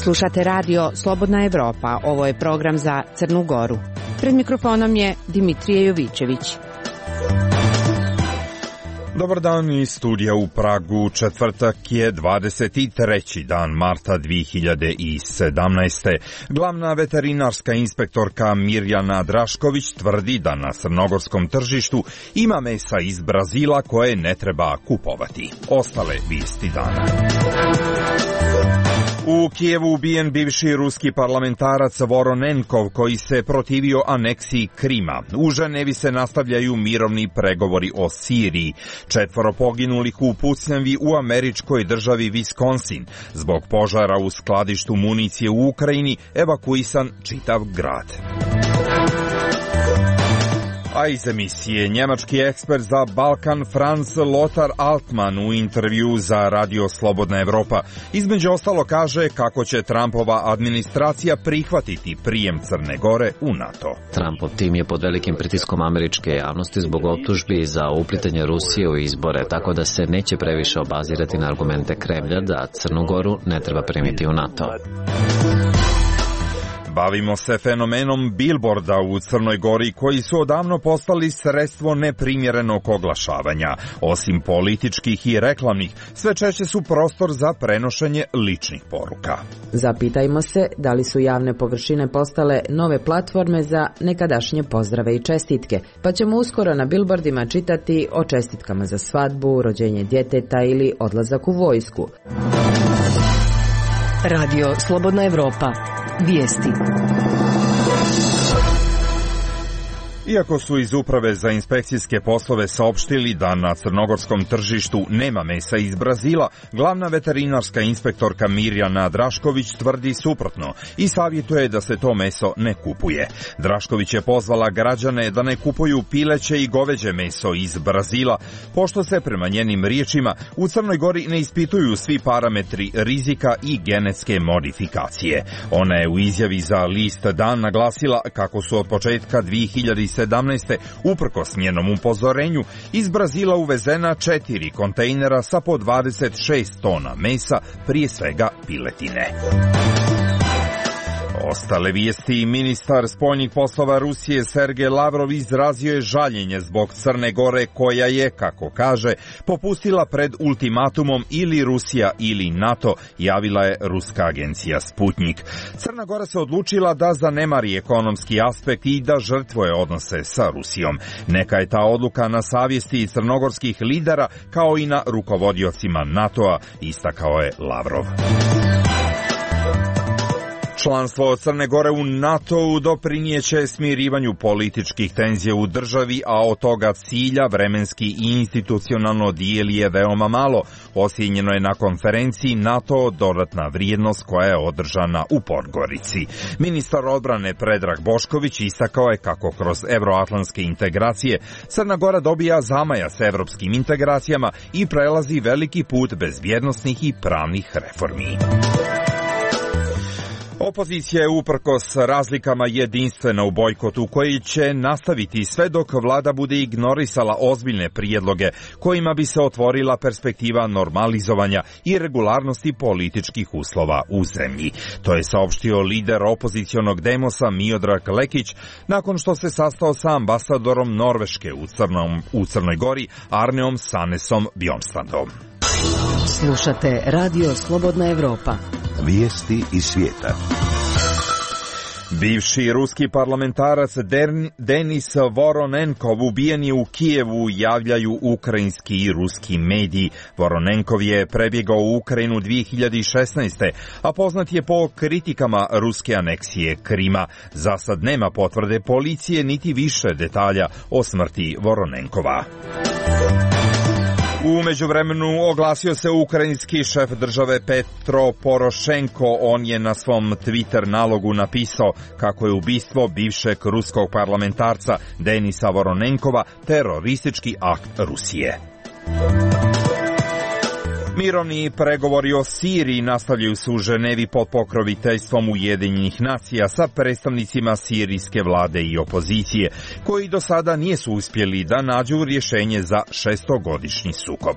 Slušate radio Slobodna Evropa. Ovo je program za Crnu Goru. Pred mikrofonom je Dimitrije Jovićević. Dobar dan iz studija u Pragu. Četvrtak je 23. dan marta 2017. Glavna veterinarska inspektorka Mirjana Drašković tvrdi da na crnogorskom tržištu ima mesa iz Brazila koje ne treba kupovati. Ostale vijesti dana. U Kijevu ubijen bivši ruski parlamentarac Voronenkov koji se protivio aneksiji Krima. U Ženevi se nastavljaju mirovni pregovori o Siriji. 4 poginulih u pucnjavi u američkoj državi Wisconsin. Zbog požara u skladištu municije u Ukrajini evakuisan čitav grad. A iz emisije njemački ekspert za Balkan Franz Lothar Altmann u intervju za Radio Slobodna Evropa između ostalo kaže kako će Trumpova administracija prihvatiti prijem Crne Gore u NATO. Trumpov tim je pod velikim pritiskom američke javnosti zbog optužbi za uplitanje Rusije u izbore, tako da se neće previše obazirati na argumente Kremlja da Crnu Goru ne treba primiti u NATO. Bavimo se fenomenom bilborda u Crnoj Gori koji su odavno postali sredstvo neprimjerenog oglašavanja. Osim političkih i reklamnih, sve češće su prostor za prenošenje ličnih poruka. Zapitajmo se da li su javne površine postale nove platforme za nekadašnje pozdrave i čestitke, pa ćemo uskoro na bilbordima čitati o čestitkama za svadbu, rođenje djeteta ili odlazak u vojsku. Radio Slobodna Evropa. Vijesti. Iako su iz Uprave za inspekcijske poslove saopštili da na crnogorskom tržištu nema mesa iz Brazila, glavna veterinarska inspektorka Mirjana Drašković tvrdi suprotno i savjetuje da se to meso ne kupuje. Drašković je pozvala građane da ne kupuju pileće i goveđe meso iz Brazila, pošto se prema njenim riječima u Crnoj Gori ne ispituju svi parametri rizika i genetske modifikacije. Ona je u izjavi za list Dan naglasila kako su od početka 2017. uprkos njenom upozorenju iz Brazila uvezena 4 kontejnera sa po 26 tona mesa, prije svega piletine. Ostale vijesti. Ministar spoljnih poslova Rusije Sergej Lavrov izrazio je žaljenje zbog Crne Gore koja je, kako kaže, popustila pred ultimatumom ili Rusija ili NATO, javila je ruska agencija Sputnik. Crna Gora se odlučila da zanemari ekonomski aspekt i da žrtvuje odnose sa Rusijom. Neka je ta odluka na savjesti crnogorskih lidera kao i na rukovodiocima NATO-a, istakao je Lavrov. Članstvo Crne Gore u NATO-u doprinijeće smirivanju političkih tenzija u državi, a od toga cilja vremenski i institucionalno dijeli je veoma malo. Ocijenjeno je na konferenciji NATO dodatna vrijednost koja je održana u Podgorici. Ministar odbrane Predrag Bošković istakao je kako kroz evroatlantske integracije Crna Gora dobija zamaja s evropskim integracijama i prelazi veliki put bezbjednosnih i pravnih reformi. Opozicija je uprkos razlikama jedinstvena u bojkotu koji će nastaviti sve dok vlada bude ignorisala ozbiljne prijedloge kojima bi se otvorila perspektiva normalizovanja i regularnosti političkih uslova u zemlji. To je saopštio lider opozicionog demosa Miodrag Lekić nakon što se sastao sa ambasadorom Norveške u Crnoj Gori Arneom Sanesom Bjornstrandom. Slušate Radio Slobodna Evropa. Vijesti iz svijeta. Bivši ruski parlamentarac Denis Voronenkov ubijen je u Kijevu, javljaju ukrajinski i ruski mediji. Voronenkov je prebjegao u Ukrajinu 2016. a poznat je po kritikama ruske aneksije Krima. Za sad nema potvrde policije niti više detalja o smrti Voronenkova. U međuvremenu oglasio se ukrajinski šef države Petro Porošenko. On je na svom Twitter nalogu napisao kako je ubistvo bivšeg ruskog parlamentarca Denisa Voronenkova teroristički akt Rusije. Mirovni pregovori o Siriji nastavljaju se u Ženevi pod pokroviteljstvom Ujedinjenih nacija sa predstavnicima sirijske vlade i opozicije, koji do sada nisu uspjeli da nađu rješenje za 6-godišnji sukob.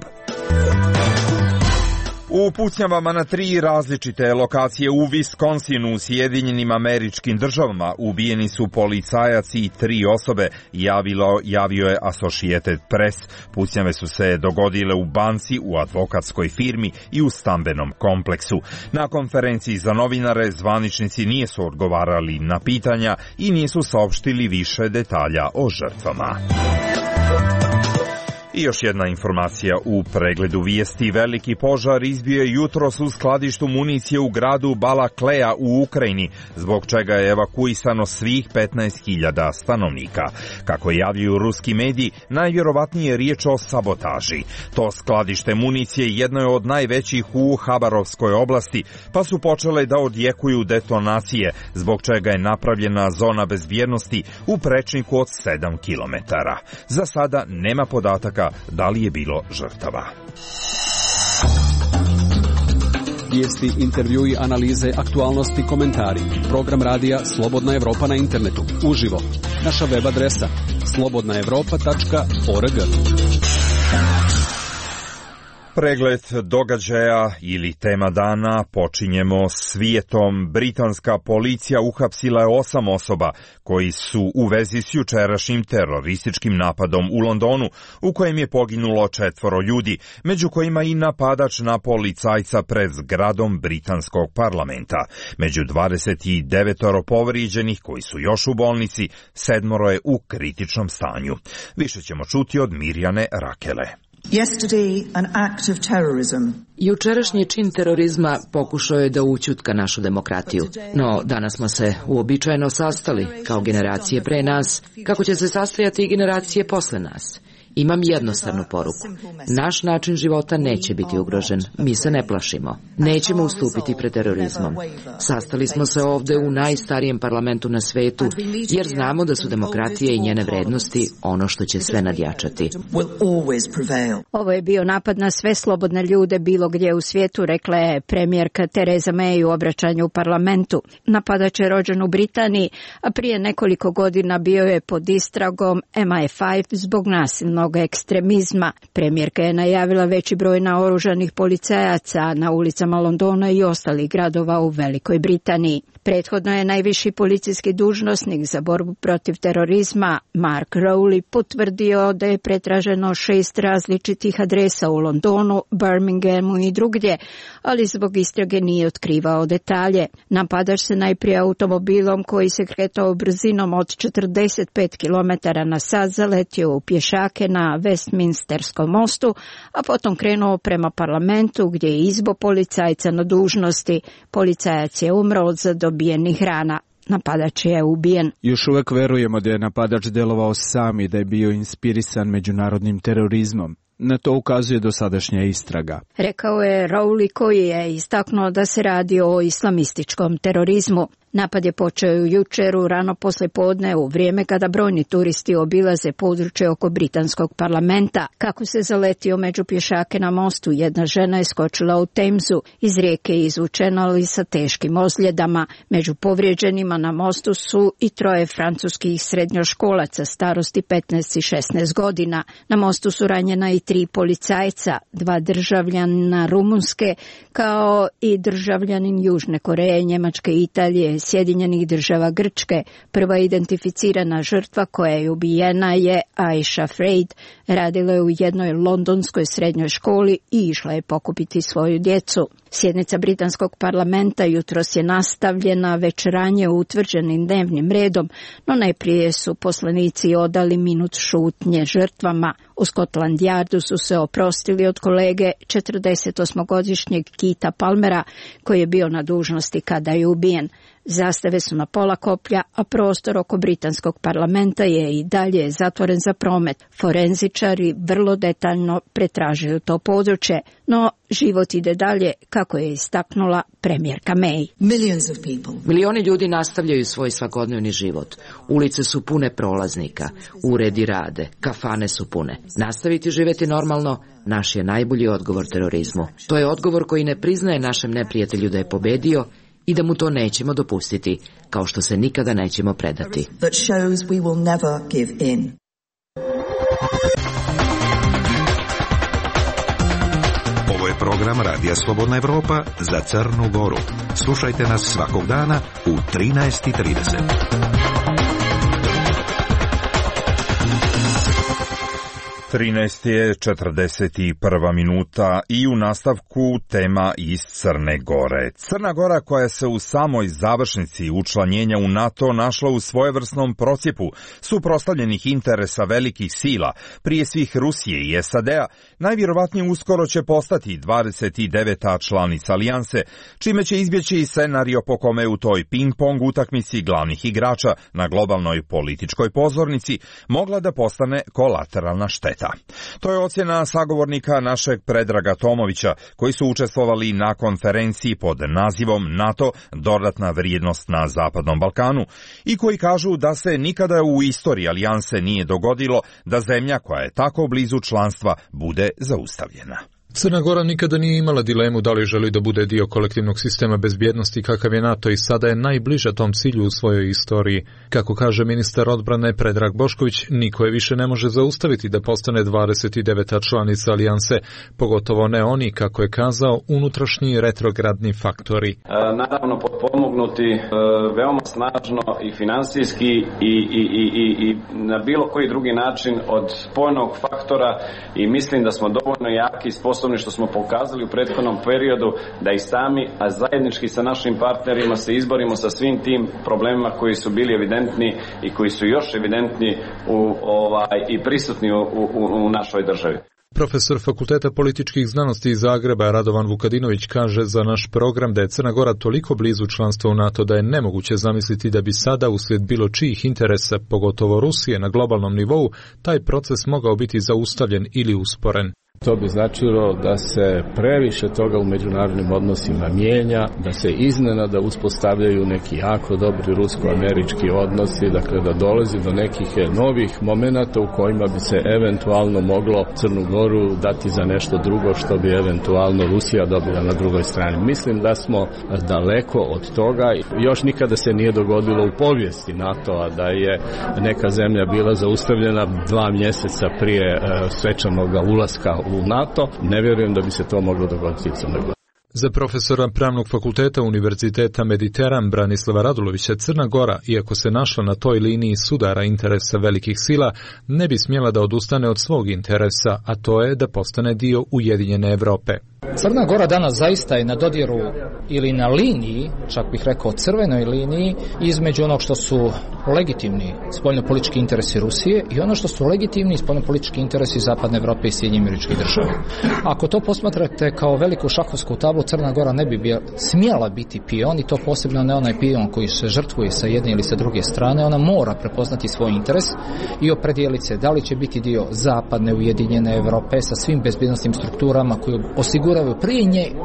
U pucnjavama na 3 različite lokacije u Wisconsinu u Sjedinjenim Američkim Državama ubijeni su policajac i 3 osobe, javio je Associated Press. Pucnjave su se dogodile u banci, u advokatskoj firmi i u stambenom kompleksu. Na konferenciji za novinare zvaničnici nisu odgovarali na pitanja i nisu saopštili više detalja o žrtvama. I još jedna informacija u pregledu vijesti. Veliki požar izbio je jutros u skladištu municije u gradu Balakleja u Ukrajini, zbog čega je evakuisano svih 15.000 stanovnika. Kako javljaju ruski mediji, najvjerovatnije je riječ o sabotaži. To skladište municije jedno je od najvećih u Habarovskoj oblasti, pa su počele da odjekuju detonacije, zbog čega je napravljena zona bezbjednosti u prečniku od 7 km. Za sada nema podataka da li je bilo žrtava. Vijesti, intervjui, analize, aktualnosti, komentari. Program radija Slobodna Evropa na internetu. Uživo. Naša web adresa slobodnaevropa.org. Pregled događaja ili tema dana počinjemo svijetom. Britanska policija uhapsila je 8 osoba koji su u vezi s jučerašnjim terorističkim napadom u Londonu, u kojem je poginulo 4 ljudi, među kojima i napadač na policajca pred zgradom britanskog parlamenta. Među 29 povrijeđenih koji su još u bolnici, 7 je u kritičnom stanju. Više ćemo čuti od Mirjane Rakele. Jučerašnji čin terorizma pokušao je da ućutka našu demokratiju, no danas smo se uobičajeno sastali kao generacije pre nas, kako će se sastajati i generacije posle nas. Imam jednostavnu poruku. Naš način života neće biti ugrožen. Mi se ne plašimo. Nećemo ustupiti pred terorizmom. Sastali smo se ovde u najstarijem parlamentu na svetu, jer znamo da su demokratija i njene vrednosti ono što će sve nadjačati. Ovo je bio napad na sve slobodne ljude bilo gdje u svijetu, rekla je premijerka Theresa May u obraćanju u parlamentu. Napadač je rođen u Britaniji, a prije nekoliko godina bio je pod istragom MI5 zbog nasilnog ekstremizma. Premijerka je najavila veći broj naoružanih policajaca na ulicama Londona i ostalih gradova u Velikoj Britaniji. Prethodno je najviši policijski dužnosnik za borbu protiv terorizma, Mark Rowley, potvrdio da je pretraženo 6 različitih adresa u Londonu, Birminghamu i drugdje, ali zbog istrage nije otkrivao detalje. Napadač se najprije automobilom koji se kretao brzinom od 45 km na sat zaletio u pješake na Westminsterskom mostu, a potom krenuo prema parlamentu gdje je izbo policajca na dužnosti. Policajac je umro od zadobijenih rana. Napadač je ubijen. Još uvek verujemo da je napadač delovao sam i da je bio inspirisan međunarodnim terorizmom. Na to ukazuje dosadašnja istraga. Rekao je Rowley, koji je istaknuo da se radi o islamističkom terorizmu. Napad je počeo jučer u rano poslijepodne u vrijeme kada brojni turisti obilaze područje oko britanskog parlamenta. Kako se zaletio među pješake na mostu, jedna žena je skočila u Temzu. Iz rijeke je izvučena, ali sa teškim ozljedama. Među povrijeđenima na mostu su i 3 francuskih srednjoškolaca starosti 15 i 16 godina. Na mostu su ranjena i 3 policajca, 2 državljana Rumunske, kao i državljanin Južne Koreje, Njemačke i Italije, Sjedinjenih Država, Grčke. Prva identificirana žrtva koja je ubijena je Aisha Freid. Radila je u jednoj londonskoj srednjoj školi i išla je pokupiti svoju djecu. Sjednica britanskog parlamenta jutros je nastavljena već ranije utvrđenim dnevnim redom, no najprije su poslanici odali minut šutnje žrtvama. U Scotland Yardu su se oprostili od kolege 48-godišnjeg Keitha Palmera, koji je bio na dužnosti kada je ubijen. Zastave su na pola koplja, a prostor oko britanskog parlamenta je i dalje zatvoren za promet. Forenzičari vrlo detaljno pretražuju to područje, no život ide dalje, kako je istaknula premijerka May. Milioni ljudi nastavljaju svoj svakodnevni život. Ulice su pune prolaznika, uredi rade, kafane su pune. Nastaviti živjeti normalno, naš je najbolji odgovor terorizmu. To je odgovor koji ne priznaje našem neprijatelju da je pobedio i da mu to nećemo dopustiti, kao što se nikada nećemo predati. Ovo je program Radija Slobodna Evropa za Crnu Goru. Slušajte nas svakog dana u 13:30. 13:41 minuta i u nastavku tema iz Crne Gore. Crna Gora, koja se u samoj završnici učlanjenja u NATO našla u svojevrsnom procjepu suprotstavljenih interesa velikih sila, prije svih Rusije i SAD-a, najvjerovatnije uskoro će postati 29. članica alijanse, čime će izbjeći scenario po kome u toj ping-pong utakmici glavnih igrača na globalnoj političkoj pozornici mogla da postane kolateralna šteta. To je ocjena sagovornika našeg Predraga Tomovića, koji su učestvovali na konferenciji pod nazivom NATO dodatna vrijednost na Zapadnom Balkanu i koji kažu da se nikada u istoriji alijanse nije dogodilo da zemlja koja je tako blizu članstva bude zaustavljena. Crna Gora nikada nije imala dilemu da li želi da bude dio kolektivnog sistema bezbjednosti kakav je NATO i sada je najbliža tom cilju u svojoj istoriji. Kako kaže ministar odbrane Predrag Bošković, niko je više ne može zaustaviti da postane 29. članica alijanse, pogotovo ne oni, kako je kazao, unutrašnji retrogradni faktori. Naravno potpomognuti veoma snažno i finansijski i na bilo koji drugi način od spojenog faktora i mislim da smo dovoljno jaki i sposobni što smo pokazali u prethodnom periodu da i sami, a zajednički sa našim partnerima se izborimo sa svim tim problemima koji su bili evidentni i koji su još evidentni i prisutni u našoj državi. Profesor Fakulteta političkih znanosti iz Zagreba Radovan Vukadinović kaže za naš program da je Crna Gora toliko blizu članstva u NATO da je nemoguće zamisliti da bi sada uslijed bilo čijih interesa, pogotovo Rusije na globalnom nivou, taj proces mogao biti zaustavljen ili usporen. To bi značilo da se previše toga u međunarodnim odnosima mijenja, da se iznenada uspostavljaju neki jako dobri rusko-američki odnosi, dakle da dolazi do nekih novih momenata u kojima bi se eventualno moglo Crnu Goru dati za nešto drugo što bi eventualno Rusija dobila na drugoj strani. Mislim da smo daleko od toga. Još nikada se nije dogodilo u povijesti NATO-a da je neka zemlja bila zaustavljena 2 mjeseca prije svečanog ulaska u NATO. Ne vjerujem da bi se to moglo dogoditi u Crnoj Gori. Za profesora Pravnog fakulteta Univerziteta Mediteran Branislava Radulovića, Crna Gora, iako se našla na toj liniji sudara interesa velikih sila, ne bi smjela da odustane od svog interesa, a to je da postane dio Ujedinjene Evrope. Crna Gora danas zaista je na dodiru ili na liniji, čak bih rekao crvenoj liniji, između onog što su legitimni spoljnopolitički interesi Rusije i ono što su legitimni spoljnopolitički interesi Zapadne Evrope i Sjedinjenih Američkih Država. Ako to posmatrate kao veliku šahovsku tablu, Crna Gora ne bi smjela biti pion, i to posebno ne onaj pion koji se žrtvuje sa jedne ili sa druge strane. Ona mora prepoznati svoj interes i opredijeliti se da li će biti dio Zapadne Ujedinjene Evrope sa svim bezbjednosnim strukturama koje osiguravaju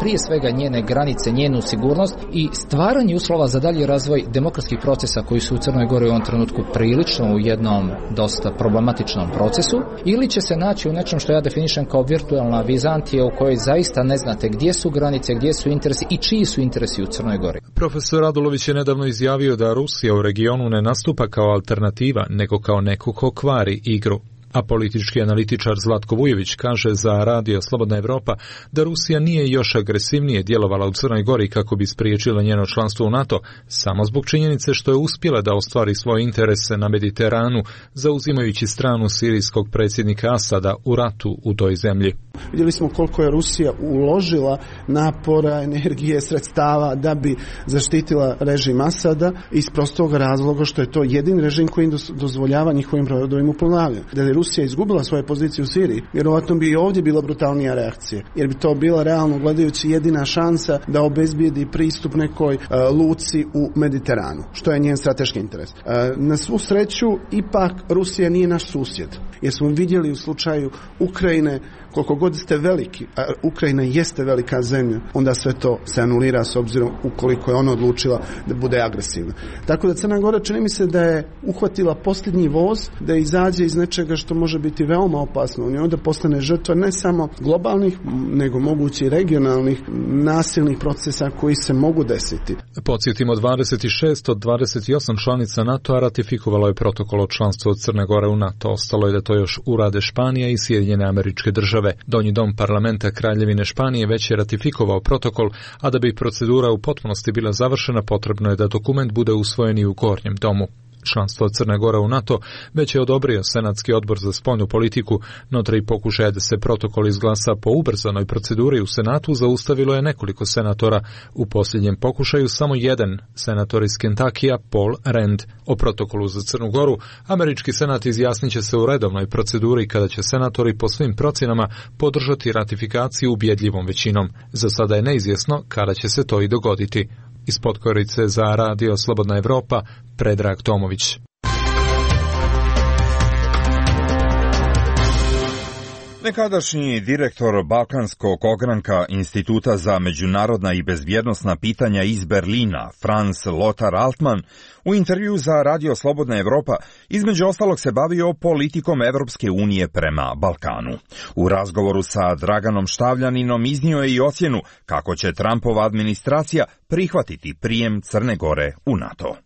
prije svega njene granice, njenu sigurnost i stvaranje uslova za dalji razvoj demokratskih procesa koji su u Crnoj Gori u ovom trenutku prilično u jednom dosta problematičnom procesu, ili će se naći u nečem što ja definišem kao virtualna Vizantija u kojoj zaista ne znate gdje su granice, gdje su interesi i čiji su interesi u Crnoj Gori. Profesor Radulović je nedavno izjavio da Rusija u regionu ne nastupa kao alternativa, nego kao neko ko kvari igru. A politički analitičar Zlatko Vujović kaže za Radio Slobodna Evropa da Rusija nije još agresivnije djelovala u Crnoj Gori kako bi spriječila njeno članstvo u NATO, samo zbog činjenice što je uspjela da ostvari svoje interese na Mediteranu, zauzimajući stranu sirijskog predsjednika Asada u ratu u toj zemlji. Vidjeli smo koliko je Rusija uložila napora, energije, sredstava da bi zaštitila režim Asada iz prostog razloga što je to jedini režim koji dozvoljava njihovim brodovima uplovljavanje. Da je Rusija izgubila svoje pozicije u Siriji, vjerovatno bi i ovdje bila brutalnija reakcija, jer bi to bila realno gledajući jedina šansa da obezbijedi pristup nekoj luci u Mediteranu, što je njen strateški interes. Na svu sreću, ipak Rusija nije naš susjed, jer smo vidjeli u slučaju Ukrajine, koliko god ste veliki, a Ukrajina jeste velika zemlja, onda sve to se anulira s obzirom ukoliko je ona odlučila da bude agresivna. Tako da Crna Gora čini mi se da je uhvatila posljednji voz, da izađe iz nečega što može biti veoma opasno i onda postane žrtva ne samo globalnih, nego mogući regionalnih nasilnih procesa koji se mogu desiti. Podsjetimo, 26 od 28 članica NATO-a ratifikovalo je protokol o članstvu od Crne Gore u NATO. Ostalo je da to još urade Španija i Sjedinjene Američke Države. Donji dom parlamenta Kraljevine Španije već je ratifikovao protokol, a da bi procedura u potpunosti bila završena, potrebno je da dokument bude usvojen i u Gornjem domu. Članstvo Crne Gore u NATO već je odobrio Senatski odbor za spoljnu politiku, no 3 pokušaja da se protokol izglasa po ubrzanoj proceduri u Senatu zaustavilo je nekoliko senatora. U posljednjem pokušaju samo jedan senator iz Kentakija, Paul Rand. O protokolu za Crnu Goru američki senat izjasnit će se u redovnoj proceduri kada će senatori po svim procjenama podržati ratifikaciju ubjedljivom većinom. Za sada je neizvjesno kada će se to i dogoditi. Iz Podgorice za Radio Slobodna Evropa, Predrag Tomović. Nekadašnji direktor Balkanskog ogranka Instituta za međunarodna i bezbjednosna pitanja iz Berlina, Franz Lothar Altmann, u intervju za Radio Slobodna Evropa između ostalog se bavio politikom Evropske unije prema Balkanu. U razgovoru sa Draganom Štavljaninom iznio je i ocjenu kako će Trumpova administracija prihvatiti prijem Crne Gore u NATO.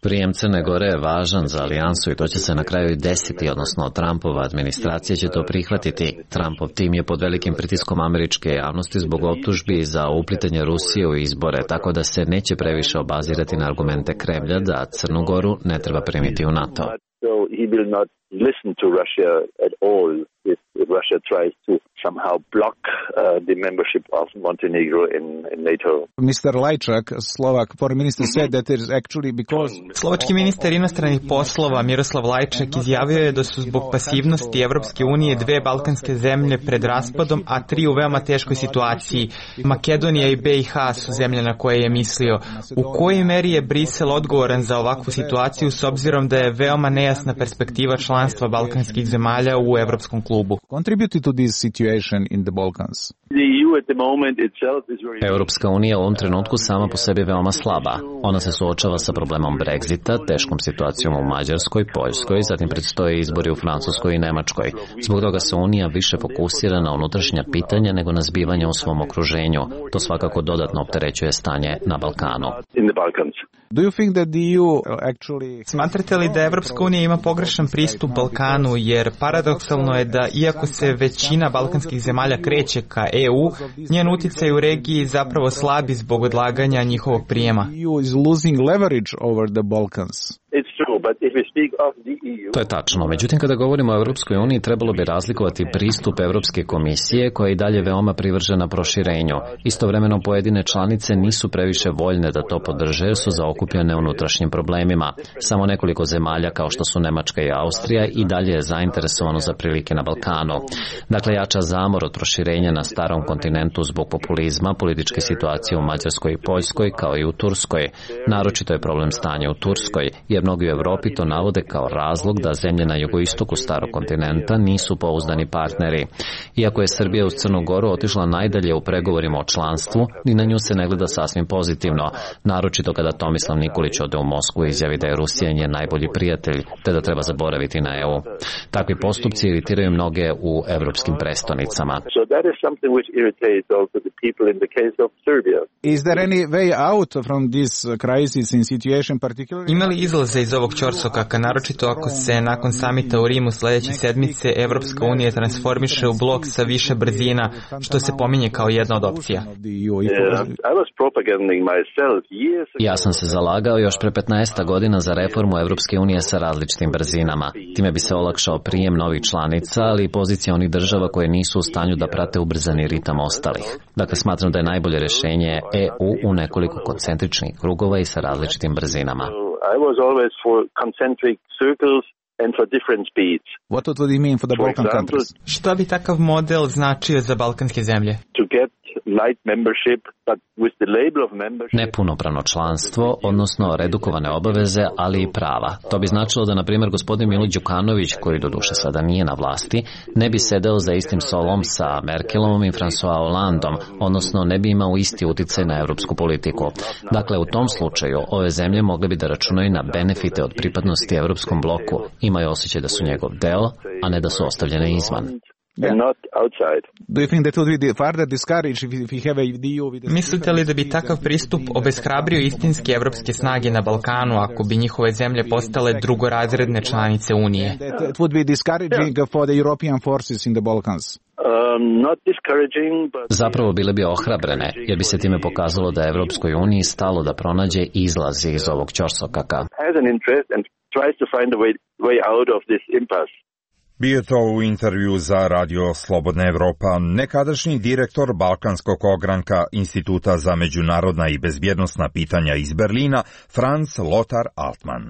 Prijem Crne Gore je važan za alijansu i to će se na kraju i desiti, odnosno Trumpova administracija će to prihvatiti. Trumpov tim je pod velikim pritiskom američke javnosti zbog optužbi za uplitanje Rusije u izbore, tako da se neće previše obazirati na argumente Kremlja da Crnu Goru ne treba primiti u NATO. Listen to Russia at all if Russia tries to somehow block the membership of Montenegro in NATO. Mr. Lajčak, Slovak foreign minister, said that it is actually because... Slovački ministar inostranih poslova Miroslav Lajčak izjavio je da su zbog pasivnosti Evropske unije 2 balkanske zemlje pred raspadom, a 3 u veoma teškoj situaciji. Makedonija i BiH su zemlje na koje je mislio. U kojoj meri je Brisel odgovoran za ovakvu situaciju s obzirom da je veoma nejasna perspektiva članstva balkanskih zemalja u Evropskom klubu? Contributed to this situation in the Balkans. Europska unija u ovom trenutku sama po sebi veoma slaba. Ona se suočava sa problemom Brexita, teškom situacijom u Mađarskoj, Poljskoj, zatim predstoje izbori u Francuskoj i Nemačkoj. Zbog toga se unija više fokusira na unutrašnja pitanja nego na zbivanja u svom okruženju. To svakako dodatno opterećuje stanje na Balkanu. Do you think that the EU actually... Smatrate li da Evropska unija ima pogrešan pristup Balkanu, jer paradoksalno je da iako se većina balkanskih zemalja kreće ka EU, njen utjecaj u regiji zapravo slabi zbog odlaganja njihovog prijema. EU is losing leverage over the Balkans. To je tačno. Međutim, kada govorimo o Europskoj uniji, trebalo bi razlikovati pristup Europske komisije, koja je i dalje veoma privržena proširenju. Istovremeno, pojedine članice nisu previše voljne da to podrže, jer su zaokupljene unutrašnjim problemima. Samo nekoliko zemalja, kao što su Nemačka i Austrija, i dalje je zainteresovano za prilike na Balkanu. Dakle, jača zamor od proširenja na starom kontinentu zbog populizma, političke situacije u Mađarskoj i Poljskoj, kao i u Turskoj. Naročito je problem stanja u Turskoj, jer mnogi u Evropi to navode kao razlog da zemlje na jugoistoku starog kontinenta nisu pouzdani partneri. Iako je Srbija uz Crnu Goru otišla najdalje u pregovorima o članstvu, ni na nju se ne gleda sasvim pozitivno, naročito kada Tomislav Nikolić ode u Moskvu i izjavi da je Rusija njen najbolji prijatelj, te da treba zaboraviti na EU. Takvi postupci iritiraju mnoge u evropskim prestonicama. Is there any way out from this crisis in situation particularly? Ima li izlaza iz ovog ćorsokaka, naročito ako se nakon samita u Rimu sledeće sedmice Evropska unija transformiše u blok sa više brzina, što se pominje kao jedna od opcija? Ja sam se zalagao još pre 15 godina za reformu Evropske unije sa različitim brzinama. Time bi se olakšao prijem novih članica, ali i pozicija onih država koje nisu u stanju da prate ubrzani ritam ostalih. Dakle, smatram da je najbolje rješenje EU u nekoliko koncentričnih krugova i sa različitim brzinama. I was always for concentric circles and for different speeds. What would it mean for the Balkan countries? Šta bi takav model značio za balkanske zemlje? To get light membership, but with the label of membership. Nepunopravno članstvo, odnosno redukovane obaveze, ali i prava. To bi značilo da, na primjer, gospodin Milo Đukanović, koji doduše sada nije na vlasti, ne bi sedeo za istim stolom sa Merkelom i François Hollandom, odnosno ne bi imao isti uticaj na evropsku politiku. Dakle, u tom slučaju ove zemlje mogle bi da računaju na benefite od pripadnosti evropskom bloku. Imaju osjećaj da su njegov deo, a ne da su ostavljene izvan. Mislite li da bi takav pristup obeshrabrio istinske evropske snage na Balkanu ako bi njihove zemlje postale drugorazredne članice Unije? Zapravo bile bi ohrabrene, jer bi se time pokazalo da je Evropskoj uniji stalo da pronađe izlaz iz ovog ćorsokaka. Bio je to u intervju za Radio Slobodna Evropa nekadašnji direktor Balkanskog ogranka Instituta za međunarodna i bezbjednosna pitanja iz Berlina, Franz Lothar Altmann.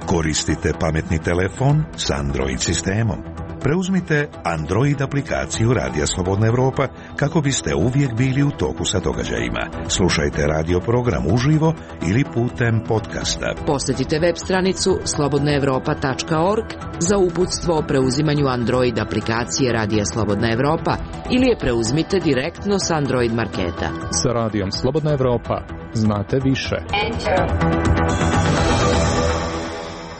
Koristite pametni telefon s Android sistemom. Preuzmite Android aplikaciju Radija Slobodna Evropa kako biste uvijek bili u toku sa događajima. Slušajte radio program uživo ili putem podcasta. Posjetite web stranicu slobodnaevropa.org za uputstvo o preuzimanju Android aplikacije Radija Slobodna Evropa ili je preuzmite direktno s Android marketa. Sa Radijom Slobodna Evropa znate više.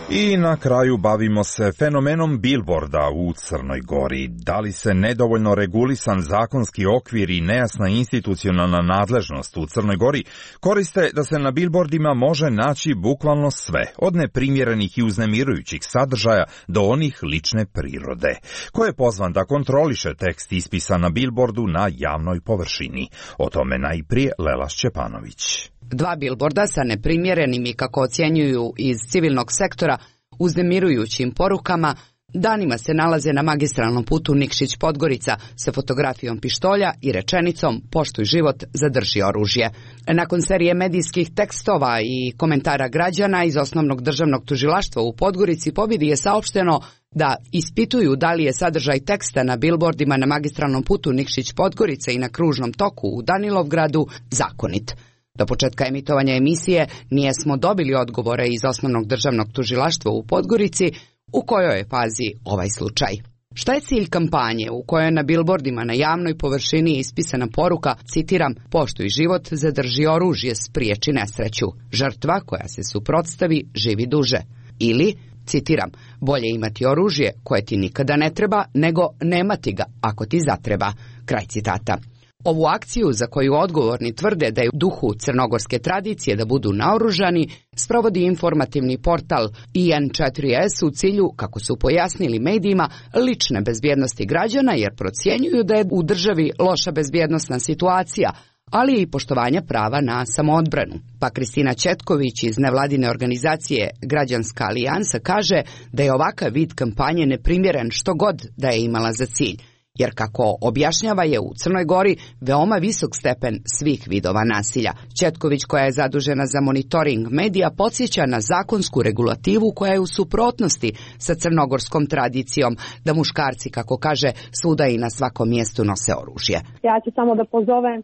I na kraju bavimo se fenomenom bilborda u Crnoj Gori. Da li se nedovoljno regulisan zakonski okvir i nejasna institucionalna nadležnost u Crnoj Gori koriste da se na bilbordima može naći bukvalno sve, od neprimjerenih i uznemirujućih sadržaja do onih lične prirode. Ko je pozvan da kontroliše tekst ispisan na bilbordu na javnoj površini? O tome najprije Lela Šćepanović. 2 bilborda sa neprimjerenim i, kako ocjenjuju iz civilnog sektora, uznemirujućim porukama danima se nalaze na magistralnom putu Nikšić-Podgorica sa fotografijom pištolja i rečenicom "Poštuj život, zadrži oružje". Nakon serije medijskih tekstova i komentara građana iz Osnovnog državnog tužilaštva u Podgorici pobjedi je saopšteno da ispituju da li je sadržaj teksta na bilbordima na magistralnom putu Nikšić-Podgorica i na kružnom toku u Danilovgradu zakonit. Do početka emitovanja emisije nijesmo dobili odgovore iz Osnovnog državnog tužilaštva u Podgorici u kojoj je fazi ovaj slučaj. Šta je cilj kampanje u kojoj na bilbordima na javnoj površini ispisana poruka, citiram, "Poštuj život, zadrži oružje, spriječi nesreću. Žrtva koja se suprotstavi živi duže." Ili, citiram, "Bolje imati oružje koje ti nikada ne treba nego nemati ga ako ti zatreba." Kraj citata. Ovu akciju, za koju odgovorni tvrde da je u duhu crnogorske tradicije da budu naoružani, sprovodi informativni portal IN4S u cilju, kako su pojasnili medijima, lične bezbjednosti građana, jer procjenjuju da je u državi loša bezbjednosna situacija, ali i poštovanja prava na samoodbranu. Pa Kristina Četković iz nevladine organizacije Građanska alijansa kaže da je ovakav vid kampanje neprimjeren što god da je imala za cilj, jer kako objašnjava je u Crnoj Gori veoma visok stepen svih vidova nasilja. Četković, koja je zadužena za monitoring medija, podsjeća na zakonsku regulativu koja je u suprotnosti sa crnogorskom tradicijom da muškarci, kako kaže, svuda i na svakom mjestu nose oružje. Ja ću samo da pozovem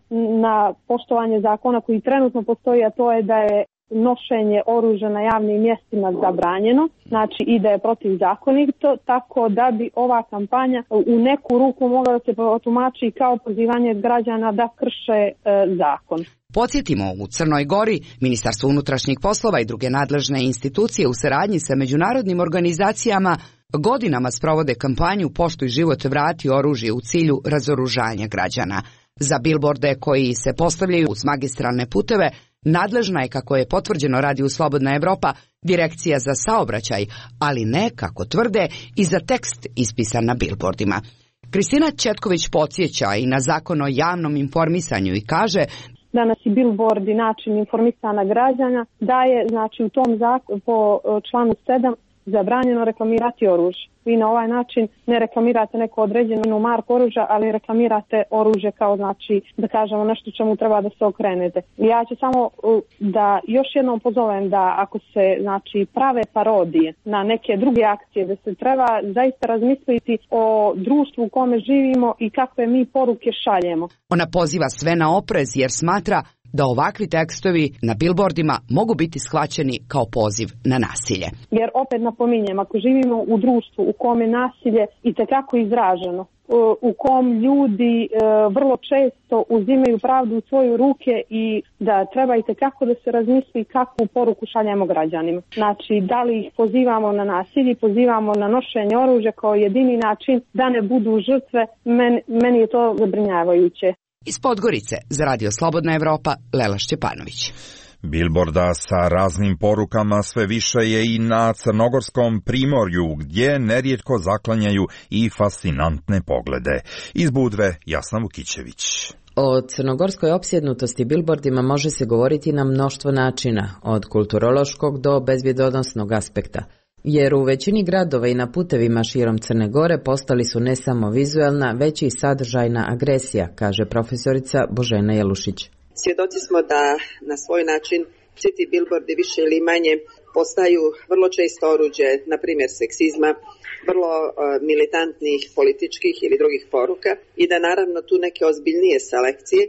na poštovanje zakona koji trenutno postoji, a to je da je nošenje oružja na javnim mjestima zabranjeno, znači i da je protivzakonito, tako da bi ova kampanja u neku ruku mogla da se tumači kao pozivanje građana da krše zakon. Podsjetimo, u Crnoj Gori Ministarstvo unutrašnjih poslova i druge nadležne institucije u saradnji sa međunarodnim organizacijama godinama sprovode kampanju "Poštuj život, vrati oružje" u cilju razoružanja građana. Za bilborde koji se postavljaju uz magistralne puteve nadležna je, kako je potvrđeno Radiju Slobodna Evropa, Direkcija za saobraćaj, ali ne, kako tvrde, i za tekst ispisan na bilbordima. Kristina Četković podsjeća i na zakon o javnom informisanju i kaže: "Danas i bilbordi način informisanja građana da je, znači, u tom zakonu po članu 7 zabranjeno reklamirati oružje. Vi na ovaj način ne reklamirate neko određenu marku oružja, ali reklamirate oružje kao, znači, da kažemo nešto čemu treba da se okrenete. Ja ću samo da još jednom pozovem da ako se, znači, prave parodije na neke druge akcije, da se treba zaista razmisliti o društvu u kome živimo i kakve mi poruke šaljemo. Ona poziva sve na oprez jer smatra da ovakvi tekstovi na bilbordima mogu biti shvaćeni kao poziv na nasilje. Jer opet napominjem, ako živimo u društvu u kome nasilje itekako izraženo, u kom ljudi vrlo često uzimaju pravdu u svoje ruke i da treba itekako da se razmisli kakvu poruku šaljemo građanima. Znači, da li ih pozivamo na nasilje, pozivamo na nošenje oružja kao jedini način da ne budu žrtve, meni je to zabrinjavajuće. Iz Podgorice za Radio Slobodna Evropa, Lela Šćepanović. Bilborda sa raznim porukama sve više je i na crnogorskom primorju, gdje nerijetko zaklanjaju i fascinantne poglede. Iz Budve, Jasna Vukićević. O crnogorskoj opsjednutosti bilbordima može se govoriti na mnoštvo načina, od kulturološkog do bezbjedonosnog aspekta. Jer u većini gradova i na putevima širom Crne Gore postali su ne samo vizualna, već i sadržajna agresija, kaže profesorica Božena Jelušić. Svjedoci smo da na svoj način svi ti bilbordi više ili manje postaju vrlo često oruđe, na primjer seksizma, vrlo militantnih političkih ili drugih poruka i da naravno tu neke ozbiljnije selekcije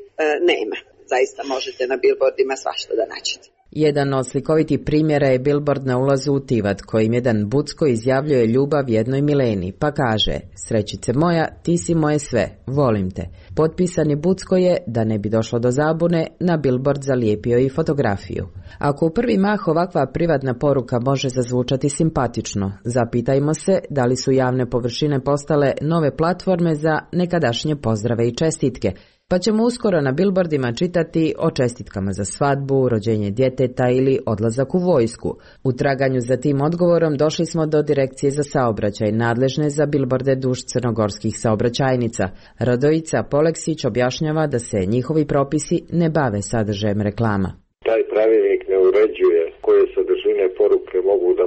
nema. Zaista možete na bilbordima svašta da nađete. Jedan od slikovitih primjera je bilbord na ulazu u Tivat, kojim jedan Bucko izjavljuje ljubav jednoj Mileni, pa kaže: "Srećice moja, ti si moje sve, volim te." Potpisani Bucko je, da ne bi došlo do zabune, na bilbord zalijepio i fotografiju. Ako u prvi mah ovakva privatna poruka može zazvučati simpatično, zapitajmo se da li su javne površine postale nove platforme za nekadašnje pozdrave i čestitke, pa ćemo uskoro na bilbordima čitati o čestitkama za svadbu, rođenje djeteta ili odlazak u vojsku. U traganju za tim odgovorom došli smo do Direkcije za saobraćaj, nadležne za bilborde duž crnogorskih saobraćajnica. Radojica Poleksić objašnjava da se njihovi propisi ne bave sadržajem reklama. Taj pravilnik ne uređuje koje sadržine poruke mogu da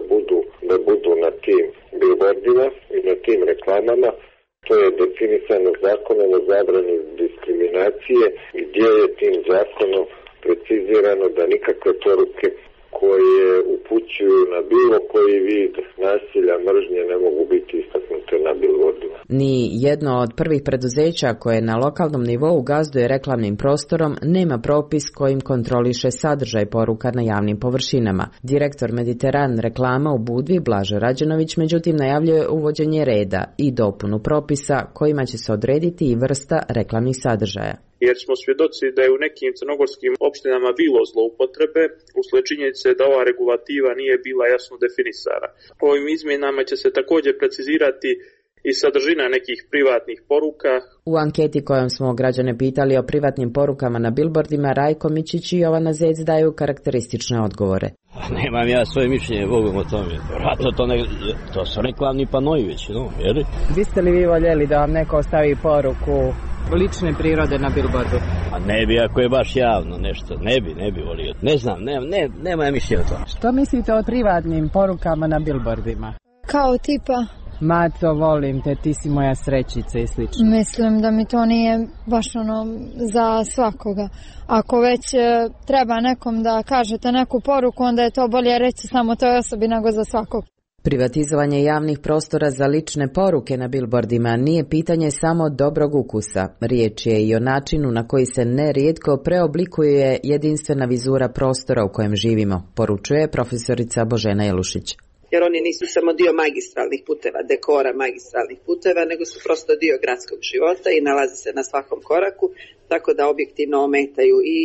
budu na tim bilbordima i na tim reklamama. To je definisano zakonom o zabrani diskriminacije, gdje je tim zakonom precizirano da nikakve poruke koje upućuju na bilo koji vid nasilja, mržnje ne mogu biti istaknute na bilbordima. Ni jedno od prvih preduzeća koje na lokalnom nivou gazduje reklamnim prostorom nema propis kojim kontroliše sadržaj poruka na javnim površinama. Direktor Mediteran reklama u Budvi, Blažo Rađenović, međutim najavljuje uvođenje reda i dopunu propisa kojima će se odrediti i vrsta reklamnih sadržaja. Jer smo svjedoci da je u nekim crnogorskim opštinama bilo zloupotrebe usled činjenice da ova regulativa nije bila jasno definisana. Ovim izmjenama će se također precizirati i sadržina nekih privatnih poruka. U anketi kojom smo građane pitali o privatnim porukama na bilbordima, Rajko Mičić i Jovana Zec daju karakteristične odgovore. Nemam ja svoje mišljenje, Bogom o tome. Vratno to su reklamni panoji već, no, jer? Biste li vi voljeli da vam neko ostavi poruku lične prirode na bilbordu? A ne bi, ako je baš javno nešto, ne bi volio. Ne znam, nema ja mišljenja o tome. Što mislite o privatnim porukama na bilbordima? Kao tipa... Mato, volim te, ti si moja srećica i slično. Mislim da mi to nije baš za svakoga. Ako već treba nekom da kažete neku poruku, onda je to bolje reći samo toj osobi nego za svakog. Privatizovanje javnih prostora za lične poruke na bilbordima nije pitanje samo dobrog ukusa. Riječ je i o načinu na koji se nerijetko preoblikuje jedinstvena vizura prostora u kojem živimo, poručuje profesorica Božena Jelušić. Jer oni nisu samo dio magistralnih puteva, dekora magistralnih puteva, nego su prosto dio gradskog života i nalaze se na svakom koraku, tako da objektivno ometaju i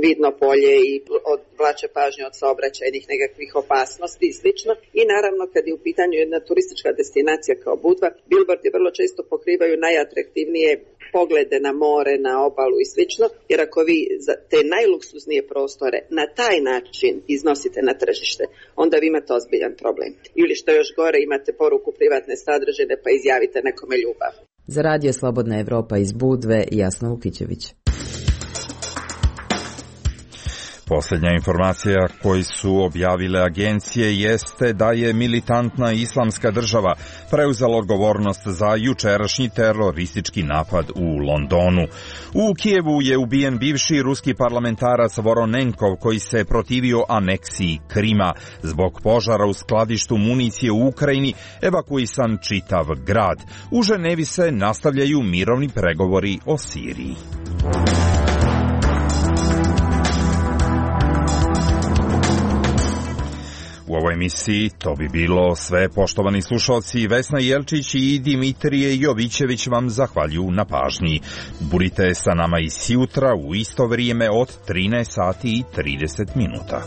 vidno polje i odvlače pažnju od saobraćajnih nekakvih opasnosti i slično. I naravno kad je u pitanju jedna turistička destinacija kao Budva, bilbordi vrlo često pokrivaju najatraktivnije poglede na more, na obalu i slično, jer ako vi za te najluksuznije prostore na taj način iznosite na tržište, onda vi imate ozbiljan problem. Ili što još gore, imate poruku privatne sadržine pa izjavite nekome ljubav. Za Radio Slobodna Evropa iz Budve, Jasna Vukićević. Posljednja informacija koju su objavile agencije jeste da je militantna islamska država preuzela odgovornost za jučerašnji teroristički napad u Londonu. U Kijevu je ubijen bivši ruski parlamentarac Voronenkov koji se protivio aneksiji Krima. Zbog požara u skladištu municije u Ukrajini evakuisan čitav grad. U Ženevi se nastavljaju mirovni pregovori o Siriji. U ovoj emisiji to bi bilo sve, poštovani slušalci. Vesna Jelčić i Dimitrije Jovićević vam zahvaljuju na pažnji. Budite sa nama i sjutra u isto vrijeme od 13 sati i 30 minuta.